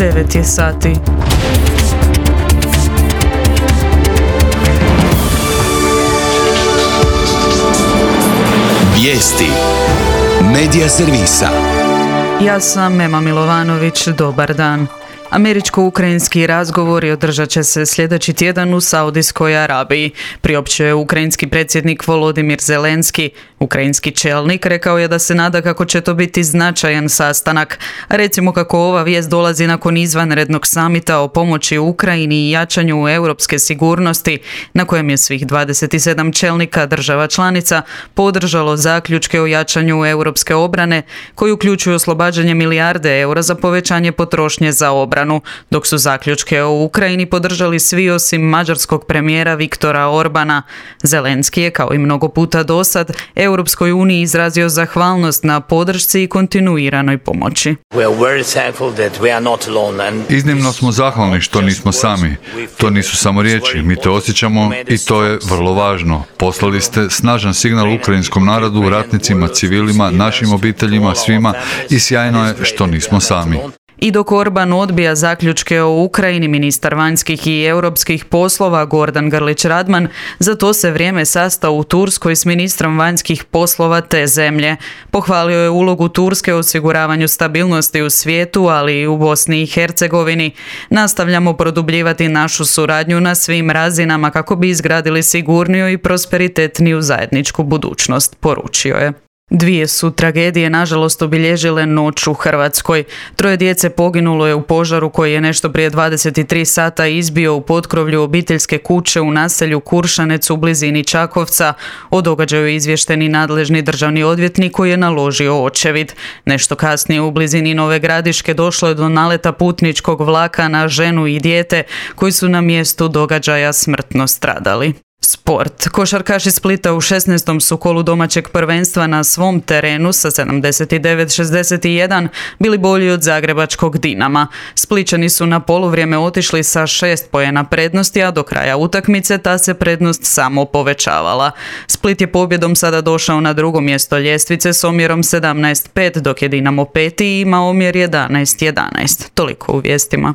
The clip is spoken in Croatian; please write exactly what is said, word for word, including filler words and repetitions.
devet je sati. Vijesti Medija servisa. Ja sam Mema Milovanović, dobar dan. Američko-ukrajinski razgovori održat će se sljedeći tjedan u Saudijskoj Arabiji, priopćio je ukrajinski predsjednik Volodimir Zelenski. Ukrajinski čelnik rekao je da se nada kako će to biti značajan sastanak. Recimo kako ova vijest dolazi nakon izvanrednog samita o pomoći Ukrajini i jačanju europske sigurnosti, na kojem je svih dvadeset sedam čelnika država članica podržalo zaključke o jačanju europske obrane, koji uključuju oslobađanje milijarde eura za povećanje potrošnje za obranu, dok su zaključke o Ukrajini podržali svi osim mađarskog premijera Viktora Orbana. Zelenski je, kao i mnogo puta dosad, Europskoj uniji izrazio zahvalnost na podršci i kontinuiranoj pomoći. Iznimno smo zahvalni što nismo sami. To nisu samo riječi, mi to osjećamo i to je vrlo važno. Poslali ste snažan signal ukrajinskom narodu, ratnicima, civilima, našim obiteljima, svima i sjajno je što nismo sami. I dok Orban odbija zaključke o Ukrajini, ministar vanjskih i europskih poslova Gordan Grlić Radman za to se vrijeme sastao u Turskoj s ministrom vanjskih poslova te zemlje. Pohvalio je ulogu Turske u osiguravanju stabilnosti u svijetu, ali i u Bosni i Hercegovini. Nastavljamo produbljivati našu suradnju na svim razinama kako bi izgradili sigurniju i prosperitetniju zajedničku budućnost, poručio je. Dvije su tragedije nažalost obilježile noć u Hrvatskoj. Troje djece poginulo je u požaru koji je nešto prije dvadeset tri sata izbio u potkrovlju obiteljske kuće u naselju Kuršanec u blizini Čakovca. O događaju je izvješteni nadležni državni odvjetnik koji je naložio očevid. Nešto kasnije u blizini Nove Gradiške došlo je do naleta putničkog vlaka na ženu i dijete koji su na mjestu događaja smrtno stradali. Sport. Košarkaši Splita u šesnaestom su kolu domaćeg prvenstva na svom terenu sa sedamdeset devet šezdeset jedan bili bolji od zagrebačkog Dinama. Splićani su na poluvrijeme otišli sa šest poena prednosti, a do kraja utakmice ta se prednost samo povećavala. Split je pobjedom sada došao na drugo mjesto ljestvice s omjerom sedamnaest pet, dok je Dinamo peti i ima omjer jedanaest jedanaest. Toliko u vijestima.